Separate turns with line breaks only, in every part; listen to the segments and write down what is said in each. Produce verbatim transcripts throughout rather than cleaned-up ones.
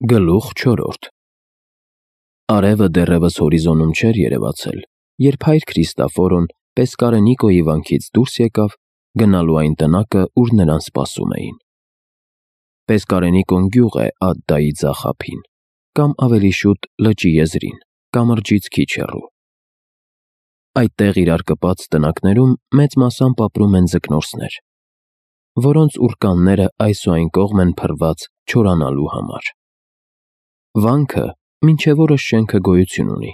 Գլուխ չորրորդ Արևը դեռևս հորիզոնում չէր երևացել, երբ հայր Քրիստոֆորոն Պեսկարենիկոյի վանքից դուրս եկավ, գնալու այն տնակը, ուր նրան սպասում էին։ Պեսկարենիկոն գյուղ է Ադդայի ձախ ափին, կամ ավելի շուտ լճի եզրին, կամրջից քիչ հեռու։ Այդտեղ իրար կպած տնակներում մեծ մասամբ ապրում են ձկնորսներ, որոնց ուռկանները այս ու այն կողմ են փռված չորանալու համար։ Վանքը մինչև օրս շենքը գոյություն ունի,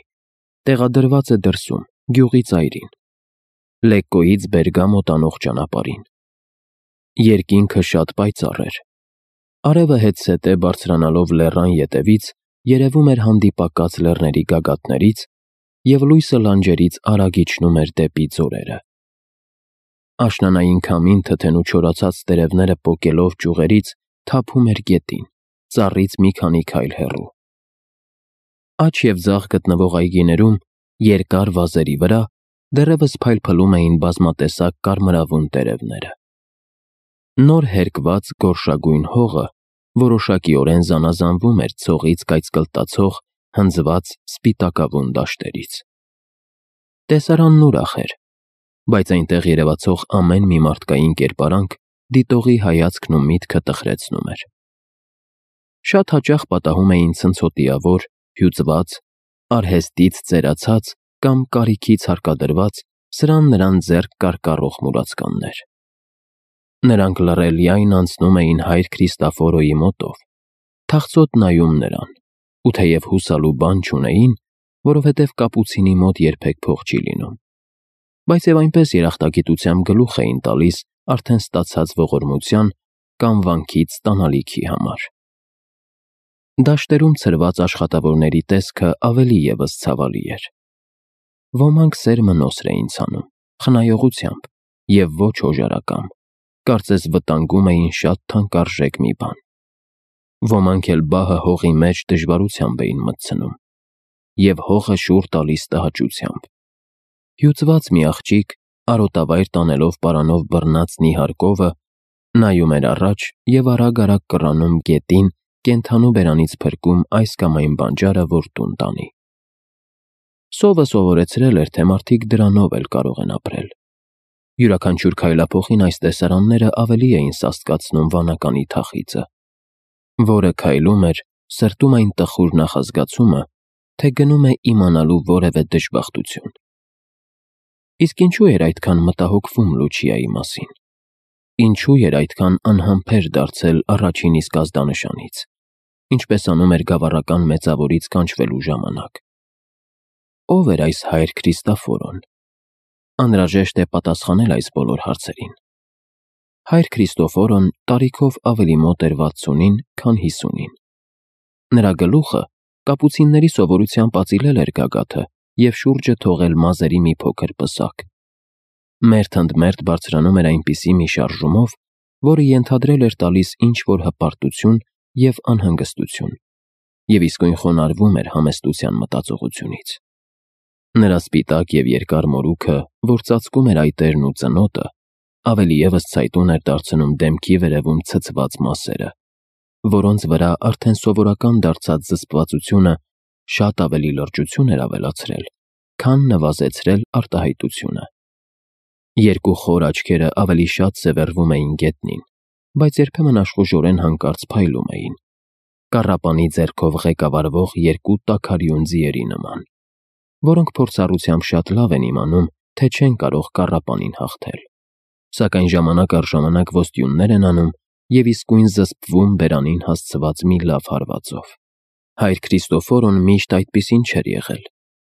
տեղադրված է դրսում, գյուղի ծայրին, Լեկկոյից Բերգամո տանող ճանապարհին։ Երկինքը շատ պայծառ էր։ Արևը հետզհետե բարձրանալով լեռան ետևից երևում էր հանդիպակաց լեռների գագաթներից և լույսը լանջերից արագ իջնում էր դեպի ձորերը։ Աշնանային քամին թթենու չորացած տերևները պոկելով ճյուղերից թափում էր գետին, ծառից մի քանի քայլ հեռու։ Աջ և ձախ գտնվող այգիներում, երկար վազերի վրա, դեռևս փայլփլում էին բազմատեսակ կարմրավուն տերևները։ Նոր հերկված գորշագույն հողը որոշակիորեն զանազանվում էր ցողից կայծկլտացող, հնձված սպիտակավուն դաշտերից։ Տեսարանն ուրախ էր, բայց այնտեղ երևացող ամեն մի մարդկային կերպարանք դիտողի հայացքն ու միտքը տխրեցնում էր։ Շատ հաճախ պատահում էին ցնցոտիավոր, հյուծված, արհեստից ծերացած կամ կարիքից հարկադրված սրան-նրան ձեռք կարկառող մուրացկաններ։ Նրանք լռելիայն անցնում էին հայր Քրիստոֆորոյի մոտով, թախծոտ նայում նրան, ու թեև հուսալու բան չունեին, որովհետև կապուցինի մոտ երբեք փող չի լինում, բայց և այնպես երախտագիտությամբ գլուխ էին տալիս արդեն ստացած ողորմության կամ վանքից ստանալիքի համար։ Դաշտերում ցրված աշխատավորների տեսքը ավելի ևս ցավալի էր։ Ոմանք սերմը նոսր էին ցանում, խնայողությամբ և ոչ օժարակամ, կարծես վտանգում էին շատ թանկարժեք մի բան։ Ոմանք էլ բահը հողի մեջ դժվարությամբ էին մտցնում և հողը շուռ տալիս տհաճությամբ։ Հյուծված մի աղջիկ, արոտավայր տանելով պարանով բռնած նիհար կովը, նայում էր առաջ և արագ-արագ կռանում գետին կենդանու բերանից փրկում այս կամ այն բանջարը, որ տուն տանի։ Սովը սովորեցրել էր, թե մարդիկ դրանով էլ կարող են ապրել։ Յուրաքանչյուր քայլափոխին այս տեսարանները ավելի էին սաստկացնում վանականի թախիծը, որը քայլում էր, սրտում այն տխուր նախազգացումը, թե գնում է իմանալու որևէ դժբախտություն։ Իսկ ինչու էր այդքան մտահոգվում Լուչիայի մասին։ Ինչու էր այդքան անհամբեր դարձել առաջին իսկ ազդանշանից, ինչպես անում էր գավառական մեծավորից կանչվելու ժամանակ։ Ո՞վ էր այս հայր Քրիստոֆորոն։ Անհրաժեշտ է պատասխանել այս բոլոր հարցերին։ Հայր Քրիստոֆորոն տարիքով ավելի մոտ էր վաթսունին, քան հիսունին։ Նրա գլուխը կապուցինների սովորությամբ ածիլել էր գագաթը և շուրջը թողել մազերի մի փոքր պսակ։ Մերթ ընդ մերթ բարձրանում էր այնպիսի մի շարժումով, որը ենթադրել էր տալիս ինչ-որ հպարտություն և անհանգստություն, և իսկույն խոնարհվում էր համեստության մտածողությունից։ Նրա սպիտակ և երկար մորուքը, որ ծածկում էր այտերն ու ծնոտը, ավելի ևս ցայտուն էր դարձնում դեմքի վերևում ցցված մասերը, որոնց վրա արդեն սովորական դարձած զսպվածությունը շատ ավելի լրջություն էր ավելացրել, քան նվազեցրել արտահայտությունը։ Երկու խոր աչքերը ավելի շատ սևեռվում էին գետնին, բայց երբեմն աշխուժորեն հանկարծ փայլում էին, կառապանի ձեռքով ղեկավարվող երկու տաքարյուն ձիերի նման, որոնք փորձառությամբ շատ լավ են իմանում, թե չեն կարող կառապանին հաղթել, սակայն ժամանակ առ ժամանակ ոստյուններ են անում և իսկույն զսպվում բերանին հասցված մի լավ հարվածով։ Հայր Քրիստոֆորոն միշտ այդպիսին չէր եղել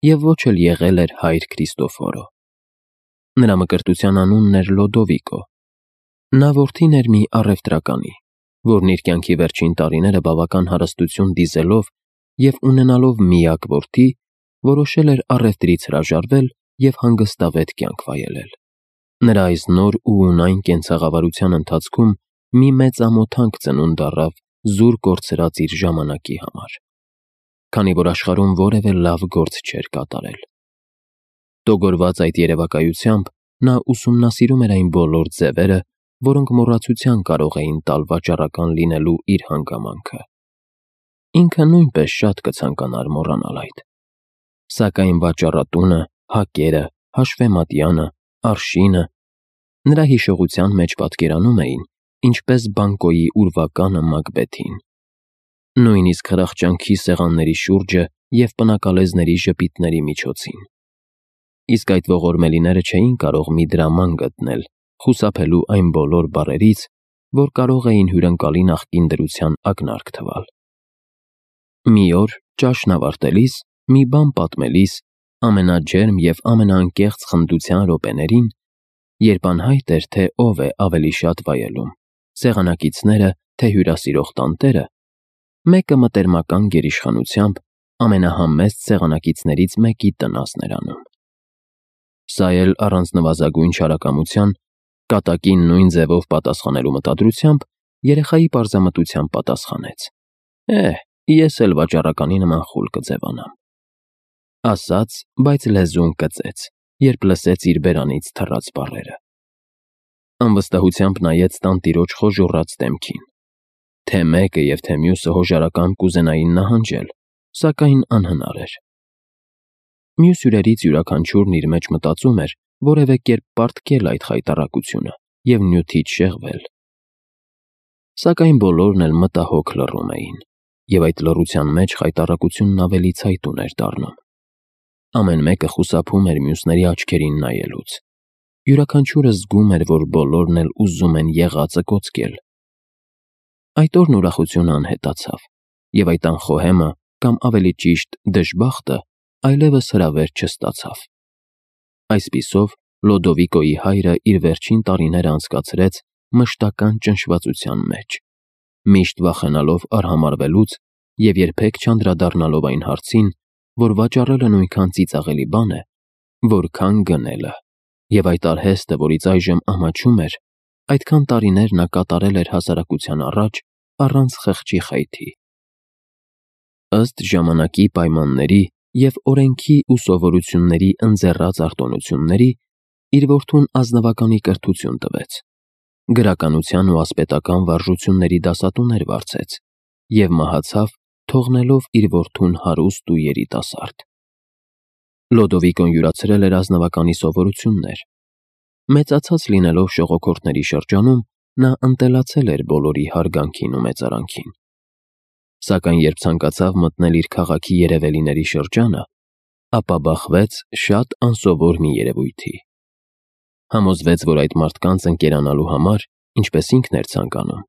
և ոչ էլ եղել էր հայր Քրիստոֆորո։ Նրա մկրտության անունն էր Լոդովիկո։ Նա որդին էր մի առևտրականի, որն իր կյանքի վերջին տարիները բավական հարստություն դիզելով և ունենալով միակ որդի, որոշել էր առևտրից հրաժարվել և հանգստավետ կյանք վայելել։ Նրա այս նոր ու ունայն կենցաղավարության ընթացքում մի մեծ ամոթանք ծնունդ առավ զուր կորցրած իր ժամանակի համար, քանի որ աշխարհում որևէ լավ գործ չէր կատարել։ Տոգորված այդ երևակայությամբ նա ուսումնասիրում էր այն բոլոր ձևերը, որոնք մոռացության կարող էին տալ վաճառական լինելու իր հանգամանքը։ Ինքը նույնպես շատ կցանկանար մոռանալ այդ։ Սակայն վաճառատունը, հակերը, հաշվեմատյանը, արշինը նրա հիշողության մեջ պատկերանում էին, ինչպես բանկոյի ուրվականը Մակբեթին։ Նույնիսկ հրախճանքի սեղանների շուրջը և պնակալեզների ժպիտների միջոցին։ Իսկ այդ ողորմելիները չէին կարող մի դրաման գտնել, խուսափելու այն բոլոր բառերից, որ կարող էին հյուրընկալի նախկին դրության ակնարկ թվալ։ Մի օր, ճաշն ավարտելիս, մի բան պատմելիս, ամենաջերմ և ամենաանկեղծ խնդության րոպեներին, երբ անհայտ էր, թե ով է ավելի շատ վայելում՝ սեղանակիցները, թե հյուրասիրող տանտերը, մեկը մտերմական գերիշխանությամբ ամենահամեստ սեղանակիցներից մեկի տնասն էր անում։ Սա էլ առանց նվազագույն չարակամության, կատակին նույն ձևով պատասխանելու մտադրությամբ, երեխայի պարզամտությամբ պատասխանեց. «Է՛հ, ես էլ վաճառականի նման խուլ կձևանամ»։ Ասաց, բայց լեզուն կծեց, երբ լսեց իր բերանից թռած բառերը։ Անվստահությամբ նայեց տանտիրոջ խոժոռած դեմքին։ Թե մեկը և թե մյուսը հոժարակամ կուզենային նահանջել, սակայն անհնար էր։ Մյուս հյուրերից յուրաքանչյուրն իր մեջ մտածում էր որևէ կերպ պարտքել այդ խայտառակությունը և նյութից շեղվել։ Սակայն բոլորն էլ մտահոգ լռում էին, և այդ լռության մեջ խայտառակությունն ավելի ցայտուն էր դառնում։ Ամեն մեկը խուսափում էր մյուսների աչքերին նայելուց։ Յուրաքանչյուրը զգում էր, որ բոլորն էլ ուզում են եղածը կոծկել։ Այդ օրն ուրախությունը անհետացավ, և այդ անխոհեմը, կամ ավելի ճիշտ դժբախտը, այլևս հրավեր չստացավ։ Այսպիսով, Լոդովիկոյի հայրը իր վերջին տարիները անցկացրեց մշտական ճնշվածության մեջ, միշտ վախենալով արհամարհվելուց և երբեք չանդրադառնալով այն հարցին, որ վաճառելը նույնքան ծիծաղելի բան է, որքան գնելը, և այդ արհեստը, որից այժմ ամաչում էր, այդքան տարիներ նա կատարել էր հասարակության առաջ առանց խղճի խայթի։ Ըստ ժամանակի պայմանների և օրենքի ու սովորությունների ընձեռած արտոնությունների, իր որդուն ազնվականի կրթություն տվեց, գրականության ու ասպետական վարժությունների դասատուներ վարձեց և մահացավ, թողնելով իր որդուն հարուստ ու երիտասարդ։ Լոդովիկոն յուրացրել էր ազնվականի սովորություններ։ Մեծացած լինելով ժողովրդների շրջանում, նա ընտելացել էր բոլորի հարգանքին ու մեծարանքին։ Սակայն երբ ցանկացավ մտնել իր քաղաքի երևելիների շրջանը, ապա բախվեց շատ անսովոր մի երևույթի։ Համոզվեց, որ այդ մարդկանց ընկերանալու համար, ինչպես ինքն էր ցանկանում,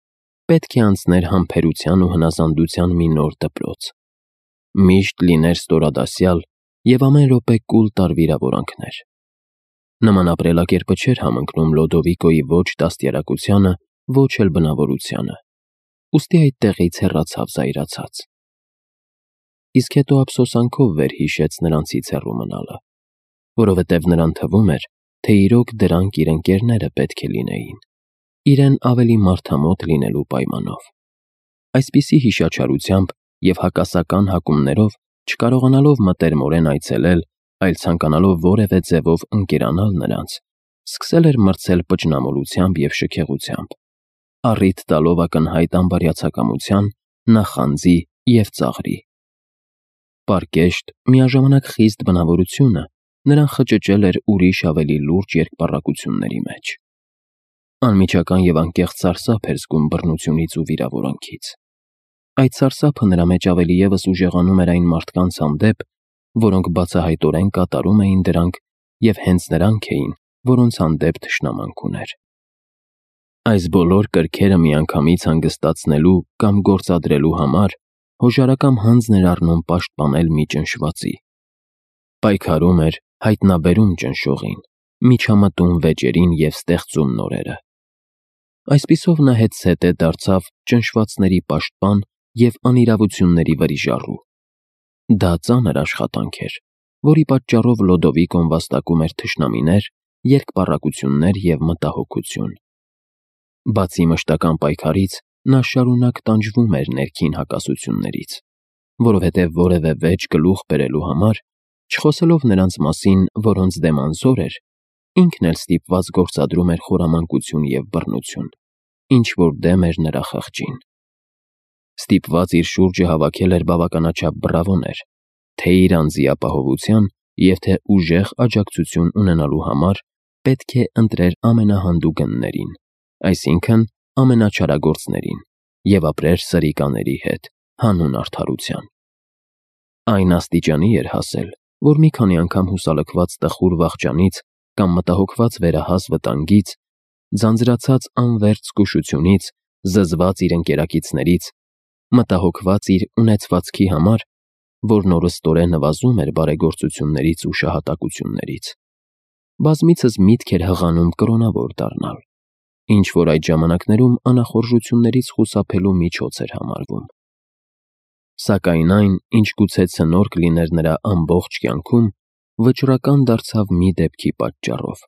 պետք է անցներ համբերության ու հնազանդության մի նոր դպրոց։ Միշտ լիներ ստորադասյալ և ամեն րոպե կուլ տար վիրավորանքներ։ Նման ապրելակերպը չէր համընկնում Լոդովիկոյի ոչ դաստիարակությանը, ոչ էլ բնավորությանը, ուստի այդտեղից հեռացավ զայրացած։ Իսկ հետո ափսոսանքով վերհիշեց նրանցից հեռու մնալը, որովհետև նրան թվում էր, թե իրոք դրանք իր ընկերները պետք է լինեին, իրեն ավելի մարդամոտ լինելու պայմանով։ Այսպիսի հիշաչարությամբ և հակասական հակումներով, չկարողանալով մտերմորեն այցելել, այլ ցանկանալով որևէ ձևով ընկերանալ նրանց, սկսել էր մրցել պճնամոլությամբ և շքեղությամբ, առիթ տալով ակնհայտ անբարյացակամության, նախանձի և ծաղրի։ Պարկեշտ, միաժամանակ խիստ բնավորությունը նրան խճճել էր ուրիշ ավելի լուրջ երկպառակությունների մեջ։ Անմիջական և անկեղծ սարսափ էր զգում բռնությունից ու վիրավորանքից։ Այդ սարսափը նրա մեջ ավելի ևս ուժեղանում էր այն մարդկանց հանդեպ, որոնք բացահայտորեն կատարում էին դրանք և հենց նրանք էին, որոնց հանդեպ թշնամանք ուներ։ Այս բոլոր կրքերը միանգամից հանգստացնելու կամ գործադրելու համար հոժարակամ հանձն էր առնում պաշտպանել մի ճնշվածի։ Պայքարում էր, հայտնաբերում ճնշողին, միջամտում վեճերին և ստեղծում նորերը։ Այսպիսով նա հետզհետե դարձավ ճնշվածների պաշտպան և անիրավությունների վրիժառու։ Դա ծանր աշխատանք էր, որի պատճառով Լոդովիկոն վաստակում էր թշնամիներ, երկպառակություններ և մտահոգություն։ Բացի մշտական պայքարից, նա շարունակ տանջվում էր ներքին հակասություններից, որովհետև որևէ վեճ գլուխ բերելու համար, չխոսելով նրանց մասին, որոնց դեմ անզոր էր, ինքն էլ ստիպված գործադրում էր խորամանկություն և բռնություն, ինչ որ դեմ էր նրա խղճին։ Ստիպված իր շուրջը հավաքել էր բավականաչափ բռավոներ, թե իր անձի ապահովության և թե ուժեղ աջակցություն ունենալու համար պետք է ընտրեր ամենահանդուգններին, այսինքն ամենաչարագործներին, և ապրեր սրիկաների հետ, հանուն արդարության։ Այն աստիճանի էր հասել, որ մի քանի անգամ հուսալքված տխուր վախճանից կամ մտահոգված վերահաս վտանգից, ձանձրացած անվերջ զգուշությունից, զզված իր ընկերակիցներից, մտահոգված իր ունեցվածքի համար, որն օրըստօրե նվազում էր բարեգործություններից ու շահատակություններից, բազմիցս միտք էր հղանում կրոնավոր դառնալ, ինչ որ այդ ժամանակներում անախորժություններից խուսափելու միջոց էր համարվում։ Սակայն այն, ինչ գուցե ցնորք լիներ նրա ամբողջ կյանքում, վճռական դարձավ մի դեպքի պատճառով,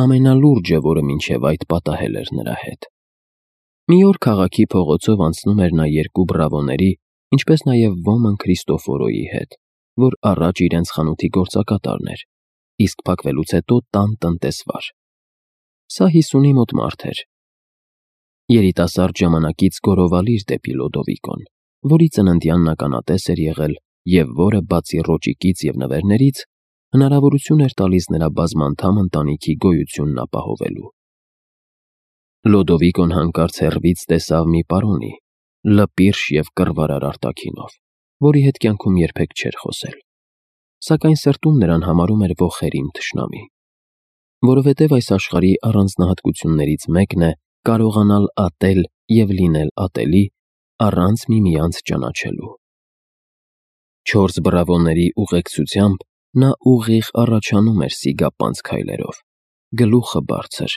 ամենալուրջը, որը մինչև այդ պատահել էր նրա հետ։ Մի օր քաղաքի փողոցով անցնում էր նա երկու բռավոների, ինչպես նաև ոմն Քրիստոֆորոյի հետ, որ առաջ իրենց խանութի գործակատարն էր, իսկ փակվելուց հետո տան տնտեսվար։ Սա հիսունի մոտ մարդ էր։ Երիտասարդ ժամանակից գոռովալիր դեպի Լոդովիկոն, որի ծննդյանն ականատես էր եղել և որը, բացի ռոճիկից և նվերներից, հնարավորություն էր տալիս նրա բազմանդամ ընտանիքի գոյությունն ապահովելու։ Լոդովիկոն հանկարծ հեռվից տեսավ մի պարոնի, լպիրշ և կռվարար արտաքինով, որի հետ կյանքում երբեք չէր խոսել, սակայն սրտում նրան համարում էր ոխերիմ թշնամի, որովհետև այս աշխարհի առանձնահատկություններից մեկն է կարողանալ ատել և լինել ատելի առանց միմյանց ճանաչելու։ Չորս բռավոների ուղեկցությամբ նա ուղիղ առաջանում էր սիգապանց քայլերով, գլուխը բարձր,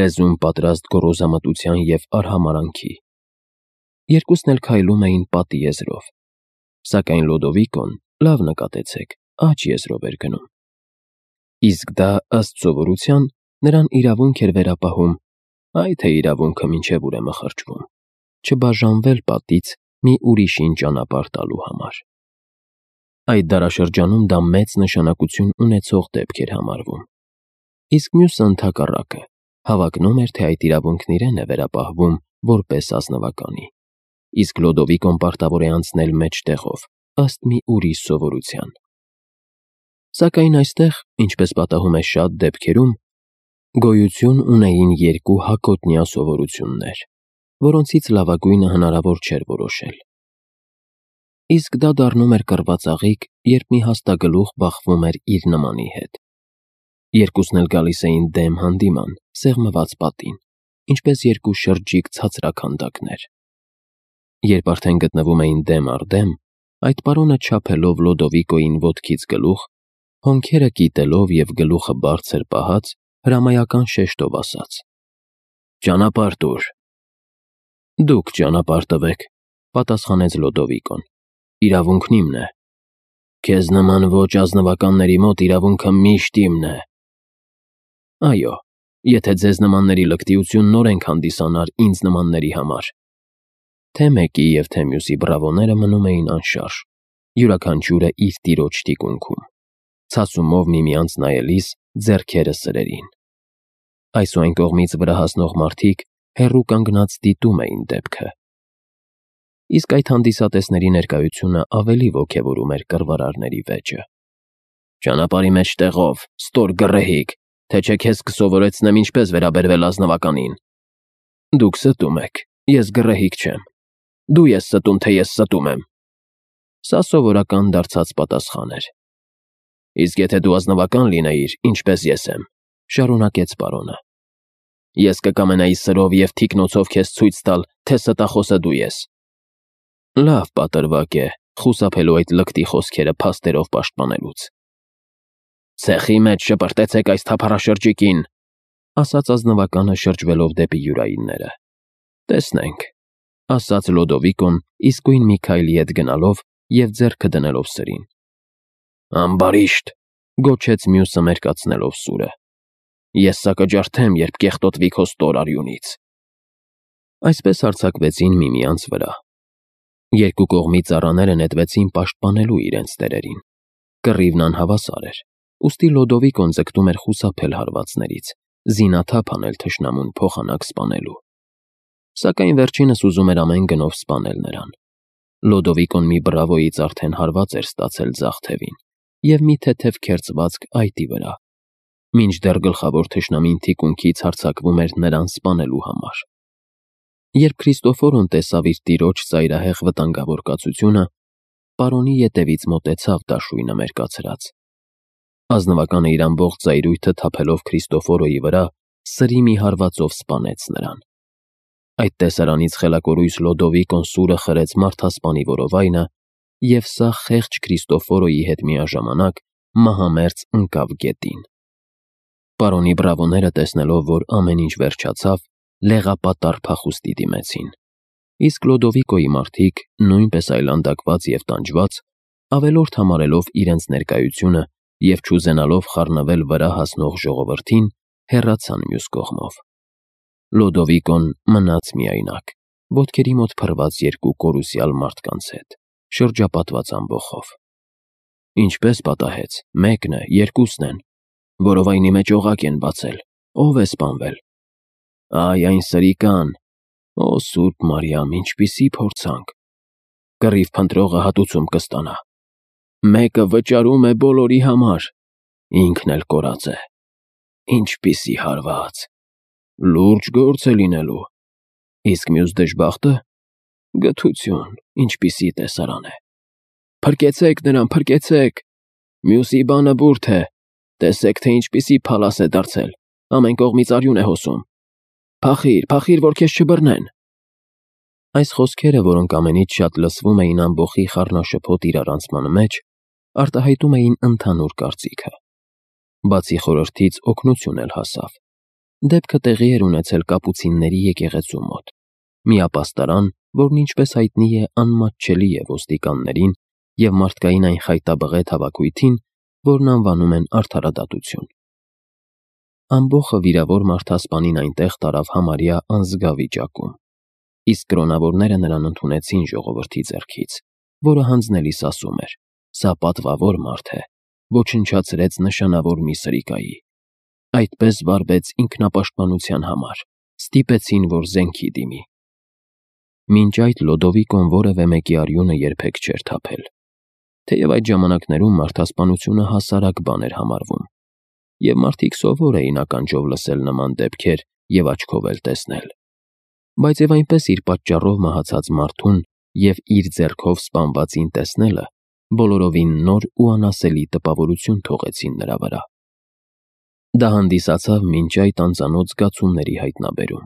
լեզուն պատրաստ գոռոզամտության և արհամարհանքի։ Երկուսն էլ քայլում էին պատի եզրով, սակայն Լոդովիկոն, լավ նկատեցեք, աջ եզրով էր գնում։ Իսկ դա, ըստ սովորության, նրան իրավունք էր վերապահում, այ թե իրավունքը մինչև ուր է մխրճվում, չբաժանվել պատից մի ուրիշին ճանապարհ տալու համար։ Այդ դարաշրջանում դա մեծ նշանակություն ունեցող դեպք էր համարվում, իսկ մյուսը ընդհակառակը հավակնում էր, թե այդ իրավունքն իրեն է վերապահվում որպես ազնվականի, իսկ Լոդովիկոն պարտավոր է անցնել մեջտեղով, ըստ մի ուրիշ սովորության։ Սակայն այստեղ, ինչպես պատահում է շատ դեպքերում, գոյություն ունեին երկու հակոտնյա սովորություններ, որոնցից լավագույնը հնարավոր չէր որոշել։ Իսկ դա դառնում էր կռվածաղիկ, երբ մի հաստագլուխ բախվում էր իր նմանի հետ։ Երկուսն էլ գալիս էին դեմ հանդիման, սեղմված պատին, ինչպես երկու շրջիկ ցածրաքանդակներ։ Երբ արդեն գտնվում էին դեմ առ դեմ, այդ պարոնը չափելով Լոդովիկոյին ոտքից գլուխ, հոնքերը կիտելով և գլուխը բարձր պահած, հրամայական շեշտով ասաց. «Ճանապարհ տուր»։ «Դուք ճանապարհ տվեք», պատասխանեց Լոդովիկոն, «իրավունքն իմն է»։ «Քեզ նման ոչ ազնվականների մոտ իրավունքը միշտ իմն է»։ «Այո, եթե ձեզ նմանների լկտիությունն օրենք հանդիսանար ինձ նմանների համար»։ Թե մեկի և թե մյուսի բռավոները մնում էին անշարժ, յուրաքանչյուրը իր տիրոջ թիկունքում, ցասումով միմյանց նայելիս ձեռքերը սրերին։ Այս ու այն կողմից վրա հասնող մարդիկ հեռու կանգնած դիտում էին դեպքը։ Իսկ այդ հանդիսատեսների ներկայությունը ավելի ոգևորում էր կռվարարների վեճը։ «Ճանապարհի մեջտեղով, ստոր գռեհիկ, թե չէ քեզ կսովորեցնեմ ինչպես վերաբերվել ազնվականին»։ «Դուք ստում եք, ես գռեհիկ չեմ»։ «Դու ես ստում, թե ես ստում եմ»։ Սա սովորական դարձած պատասխան էր։ «Իսկ եթե դու ազնվական լինեիր, ինչպես ես եմ», շարունակեց պարոնը, «ես կկամենայի սրով և թիկնոցով քեզ ցույց տալ, թե ստախոսը դու ես»։ Լավ պատրվակ է խուսափելու այդ լկտի խոսքերը փաստերով պաշտպանելուց։ «Ցեխի մեջ շպրտեցեք այս թափառաշրջիկին», ասաց ազնվականը շրջվելով դեպի յուրայինները։ «Տեսնենք», ասաց Լոդովիկոն իսկույն մի քայլի հետ գնալով և ձեռքը դնելով սրին։ «Ամբարիշտ», գոչեց մյուսը մերկացնելով սուրը, «ես սա կջարդեմ, երբ կեղտոտվի քո ստոր արյունից»։ Այսպես հարձակվեցին միմյանց վրա։ Երկու կողմի ծառաները նետվեցին պաշտպանելու իրենց տերերին։ Կռիվն անհավասար էր, ուստի Լոդովիկոն ձգտում էր խուսափել հարվածներից, զինաթափ անել թշնամուն փոխանակ սպանելու։ Սակայն վերջինս ուզում էր ամեն գնով սպանել նրան։ Լոդովիկոն մի բրավոյից արդեն հարված էր ստացել ձախ թևին և մի թեթև քերծվածք այտի վրա, մինչդեռ գլխավոր թշնամին թիկունքից հարձակվում էր նրան սպանելու համար։ Երբ Քրիստոֆորոն տեսավ իր տիրոջ ծայրահեղ վտանգավոր կացությունը, պարոնի ետևից մոտեցավ դաշույնը մերկացրած։ Ազնվականը իր ամբողջ ծայրույթը թափելով Քրիստոֆորոյի վրա, սրի մի հարվածով սպանեց նրան։ Այդ տեսարանից խելակորույս Լոդովիկոն սուրը խրեց մարդասպանի որովայնը, և սա խեղճ Քրիստոֆորոյի հետ միաժամանակ մահամերձ ընկավ գետին։ Պարոնի բրավոները տեսնելով, որ ամեն ինչ վերջացավ, լեղապատառ փախուստի դիմեցին, իսկ Լոդովիկոյի մարդիկ, նույնպես այլանդակված և տանջված, ավելորդ համարելով իրենց ներկայությունը և չուզենալով խառնվել վրա հասնող ժողովրդին, հեռացան մյուս կողմով։ Լոդովիկոն մնաց միայնակ, ոտքերի մոտ փռված երկու կորուսյալ մարդկանց հետ, շրջապատված ամբոխով։ Ինչպես պատահեց, մեկն է, երկուսն են, որովայնի մեջ օղակ են բացել, ով է սպանվել։ Այ այն սրիկան, օ Սուրբ Մարիամ, ինչպիսի փորձանք, կռիվ փնտրողը հատուցում կստանա, մեկը վճարում է բոլորի համար, ինքն էլ կորած է, ինչպիսի հարված, լուրջ գործ է լինելու, իսկ մյուս դժբախտը, գթություն, ինչպիսի տեսարան է, փրկեցեք նրան, փրկեցեք, մյուսի բանը բուրդ է, տեսեք, թե ինչպիսի փալաս է դարձել, ամեն կողմից արյուն է հոսում, փախիր, փախիր, որ քեզ չբռնեն։ Այս խոսքերը, որոնք ամենից շատ լսվում էին ամբոխի խառնաշփոթ իրարանցման մեջ, արտահայտում էին ընդհանուր կարծիքը։ Բացի խորհրդից օգնություն էլ հասավ։ Դեպքը տեղի էր ունեցել կապուցինների եկեղեցու մոտ, մի ապաստարան, որն ինչպես հայտնի է անմատչելի է ոստիկաններին և մարդկային այն խայտաբղետ հավաքույթին, որն անվանում են արդարադատություն։ Ամբոխը վիրավոր մարդասպանին այնտեղ տարավ համարյա անզգա վիճակում, իսկ կրոնավորները նրան ընդունեցին ժողովրդի ձեռքից, որը հանձնելիս ասում էր. «Սա պատվավոր մարդ է, ոչնչացրեց նշանավոր մի սրիկայի, այդպես վարվեց ինքնապաշտպանության համար, ստիպեցին, որ զենքի դիմի»։ Մինչ այդ Լոդովիկոն որևէ մեկի արյունը երբեք չէր թափել, թեև այդ ժամանակներում մարդասպանությունը հասարակ բան էր համարվում, և մարդիկ սովոր էին ականջով լսել նման դեպքեր և աչքով էլ տեսնել, բայց և այնպես իր պատճառով մահացած մարդուն և իր ձեռքով սպանվածին տեսնելը բոլորովին նոր ու անասելի տպավորություն թողեցին նրա վրա։ Դա հանդիսացավ մինչ այդ անծանոթ զգացումների հայտնաբերում,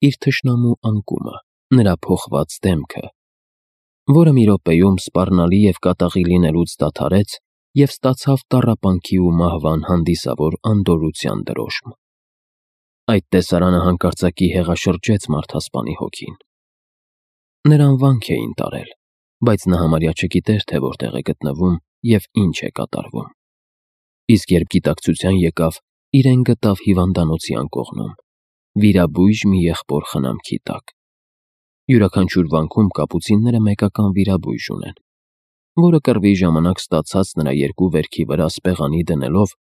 իր թշնամու անկումը, նրա փոխված դեմքը, որը մի րոպեում սպառնալի և կատաղի լինելուց դադարեց և ստացավ տառապանքի ու մահվան հանդիսավոր անդորրության դրոշմ։ Այդ տեսարանը հանկարծակի հեղաշրջեց մարդասպանի հոգին։ Նրան վանք էին տարել, բայց նա համարյա չգիտեր, թե որտեղ է գտնվում և ինչ է կատարվում։ Իսկ երբ գիտակցության եկավ, իրեն գտավ հիվանդանոցի անկողնում, վիրաբույժ մի եղբոր խնամքի տակ։ Յուրաքանչյուր վանքում կապուցինները մեկական վիրաբույժ ունեն, որը կռվի ժամանակ ստացած նրա երկու վերքի վրա սպեղանի դնելով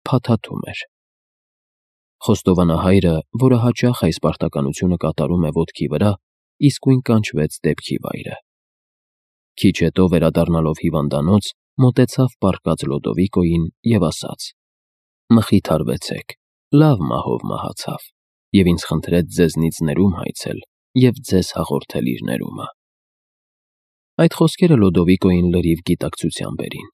փաթաթում էր։ Խոստովանահայրը, որը հաճախ այս պարտականությունը կատարում է ոտքի վրա, իսկույն կանչվեց դեպքի վայրը։ Քիչ հետո վերադառնալով հիվանդանոց, մոտեցավ պառկած Լոդովիկոյին և ասաց. «Մխիթարվեցեք, լավ մահով մահացավ, և ինձ խնդրեց ձեզնից ներում հայցել և ձեզ հաղորդել իր ներումը»։ Այդ խոսքերը Լոդովիկոյին լրիվ գիտակցության բերին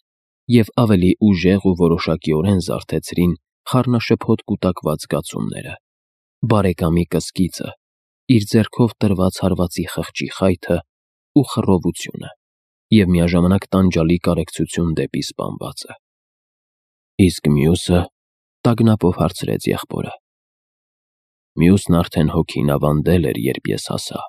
և ավելի ուժեղ ու որոշակիորեն զարթեցրին խառնաշփոթ կուտակված զգացումները, բարեկամի կսկիծը, իր ձեռքով տրված հարվածի խղճի խայթը ու խռովությունը և միաժամանակ տանջալի կարեկցություն դեպի սպանվածը։ Իսկ մյուսը, տագնապով հարցրեց եղբորը։ Մյուսն արդեն հոգին ավանդել էր, երբ ես հասա։